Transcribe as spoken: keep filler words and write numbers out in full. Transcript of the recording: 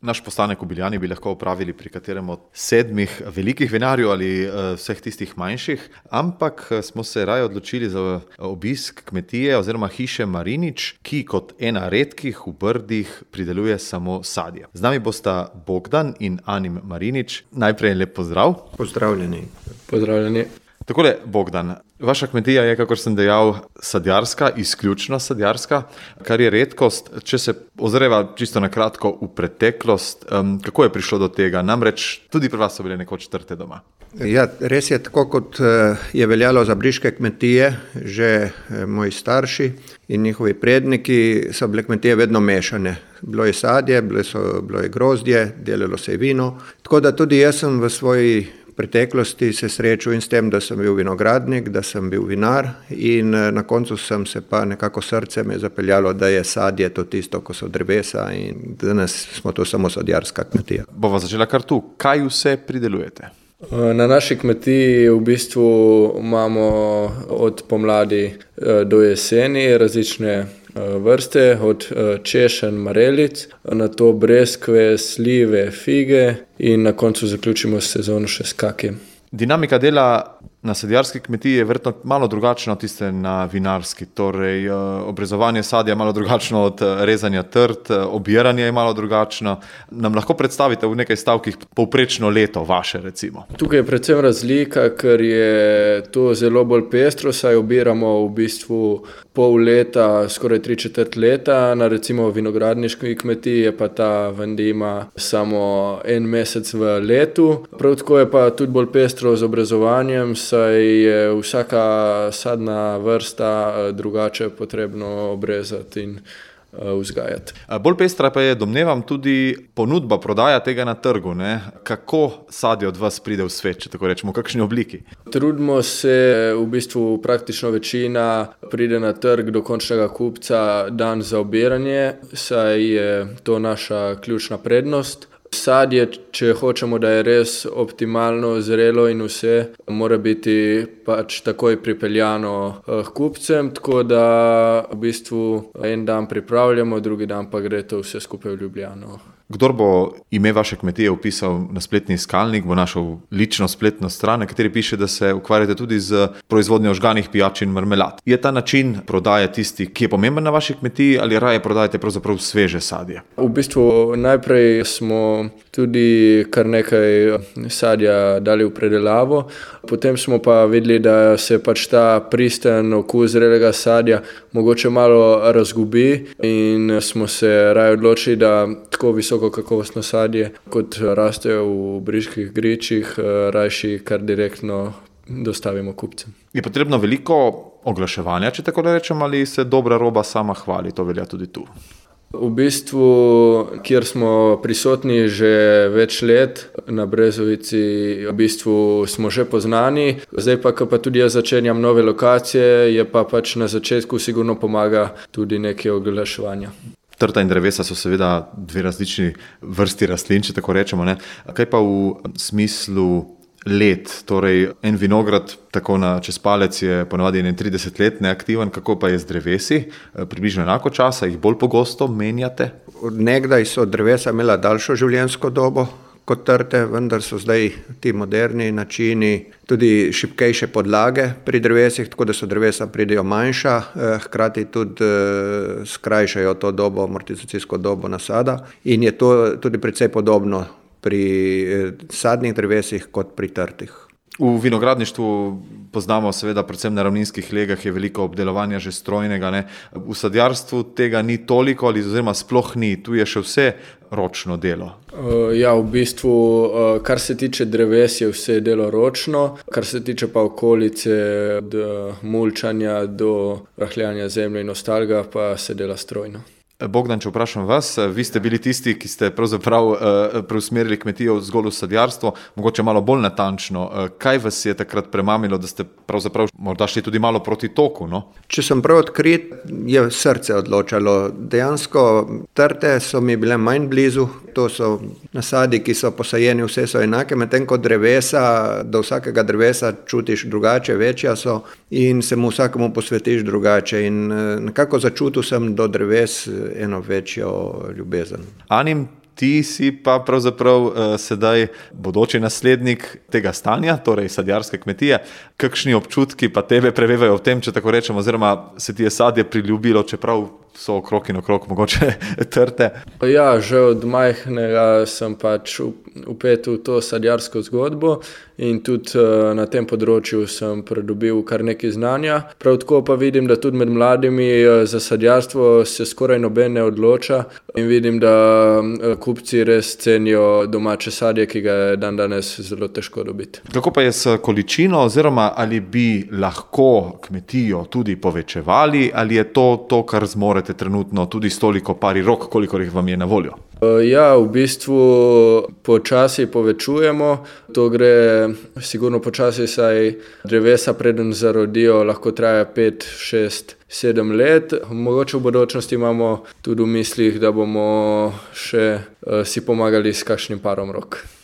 Naš postanek v Biljani bi lahko opravili pri katerem od sedmih velikih vinarjev ali uh, vseh tistih manjših, ampak smo se raje odločili za obisk kmetije oziroma hiše Marinič, ki kot ena redkih v Brdih prideluje samo sadje. Z nami bosta Bogdan in Anim Marinič. Najprej lep pozdrav. Pozdravljeni. Pozdravljeni. Takole, Bogdan, vaša kmetija je, kakor sem dejal, sadjarska, izključno sadjarska, kar je redkost. Če se ozreva čisto na kratko v preteklost, um, kako je prišlo do tega? Namreč tudi pri vas so bile nekoč trte doma. Ja, res je, tako kot je veljalo za briške kmetije, že moji starši in njihovi predniki so bile kmetije vedno mešane. Bilo je sadje, bilo, so, bilo je grozdje, delalo se je vino. Tako da tudi jaz sem v svoji preteklosti se srečal in s tem, da sem bil vinogradnik, da sem bil vinar in na koncu sem se pa nekako srce me zapeljalo, da je sadje to tisto, ko so drevesa in danes smo to samo sadjarska kmetija. Bova začela kar tu. Kaj vse pridelujete? Na naši kmetiji v bistvu imamo od pomladi do jeseni različne vrste, od češenj, marelic, nato breskve, slive, fige in na koncu zaključimo sezono še s kakijem. Dinamika dela na sadjarski kmetiji je verjetno malo drugačna od tiste na vinarski, torej obrezovanje sadja je malo drugačno od rezanja trt, obiranje je malo drugačno. Nam lahko predstavite v nekaj stavkih povprečno leto vaše, recimo? Tukaj je predvsem razlika, ker je to zelo bolj pestro, saj obiramo v bistvu pol leta, skoraj tri četrt leta, na recimo vinogradniški kmetiji je pa ta vendima samo en mesec v letu. Prav tako je pa tudi bolj pestro z obrezovanjem, saj je vsaka sadna vrsta drugače potrebno obrezati in vzgajati. Bolj pestra pa je, domnevam, tudi ponudba, prodaja tega na trgu, ne? Kako sadje od vas pride v svet, če tako rečemo, v kakšni obliki? Trudimo se, v bistvu praktično večina pride na trg do končnega kupca dan za obiranje, saj je to naša ključna prednost. Sadje, če hočemo, da je res optimalno zrelo in vse, mora biti pač takoj pripeljano k kupcem, tako da v bistvu en dan pripravljamo, drugi dan pa gre to vse skupaj v Ljubljano. Kdor bo ime vaše kmetije vpisal na spletni iskalnik, bo našel lično spletno stran, na kateri piše, da se ukvarjate tudi z proizvodnjo žganih pijač in marmelad. Je ta način prodaje tisti, ki je pomemben na vaši kmetiji, ali raje prodajate pravzaprav sveže sadje? V bistvu najprej smo tudi kar nekaj sadja dali v predelavo, potem smo pa videli, da se pač ta pristen okus zrelega sadja mogoče malo razgubi in smo se raje odločili, da tako visoko kakovostno sadje, kot raste v briških gričih, rajši kar direktno dostavimo kupcem. Je potrebno veliko oglaševanja, če tako rečem, ali se dobra roba sama hvali? To velja tudi tu. V bistvu, kjer smo prisotni že več let, na Brezovici, v bistvu smo že poznani. Zdaj pa, ko pa tudi jaz začenjam nove lokacije, je pa pač na začetku sigurno pomaga tudi nekaj oglaševanja. Trta in drevesa so seveda dve različni vrsti rastlin, če tako rečemo, ne? Kaj pa v smislu let? Torej, en vinograd tako na čez palec je ponavadi trideset let neaktiven, kako pa je z drevesi? Približno enako časa, jih bolj pogosto menjate? Od nekdaj so drevesa imela daljšo življenjsko dobo kot trte, vendar so zdaj ti moderni načini tudi šibkejše podlage pri drevesih, tako da so drevesa pridejo manjša, hkrati tudi skrajšajo to dobo, amortizacijsko dobo nasada in je to tudi precej podobno pri sadnih drevesih kot pri trtih. V vinogradništvu poznamo seveda predvsem na ravninskih legah je veliko obdelovanja že strojnega, ne? V sadjarstvu tega ni toliko ali oziroma sploh ni, tu je še vse ročno delo. Ja, v bistvu, kar se tiče dreves, je vse delo ročno, kar se tiče pa okolice, od mulčanja do rahljanja zemlje in ostalega, pa se dela strojno. Bogdan, če vprašam vas, vi ste bili tisti, ki ste pravzaprav uh, preusmerili kmetijo zgolj v sadjarstvo, mogoče malo bolj natančno. Uh, kaj vas je takrat premamilo, da ste pravzaprav morda šli tudi malo proti toku, no? Če sem prav odkrit, je srce odločalo. Dejansko trte so mi bile manj blizu, to so nasadi, ki so posajeni, vse so enake, medtem ko drevesa, do vsakega drevesa čutiš drugače, večja so in se mu vsakemu posvetiš drugače in nekako začutil sem do dreves eno večjo ljubezen. Anim, ti si pa pravzaprav uh, sedaj bodoči naslednik tega stanja, torej sadjarske kmetije. Kakšni občutki pa tebe prevevajo v tem, če tako rečemo, oziroma se ti je sadje priljubilo, čeprav so okrog in okrog mogoče trte? Ja, že od majhnega sem pač vpet v to sadjarsko zgodbo in tudi na tem področju sem pridobil kar nekaj znanja. Prav tako pa vidim, da tudi med mladimi za sadjarstvo se skoraj noben ne odloča in vidim, da kupci res cenijo domače sadje, ki ga je dan danes zelo težko dobiti. Kako pa je s količino, oziroma ali bi lahko kmetijo tudi povečevali, ali je to to, kar zmorete trenutno tudi s toliko pari rok, koliko jih vam je na voljo? Ja, v bistvu počasi povečujemo. To gre sigurno počasi, saj drevesa preden zarodijo lahko traja pet, šest, sedem let. Mogoče v bodočnosti imamo tudi v mislih, da bomo še si pomagali s kakšnim parom rok.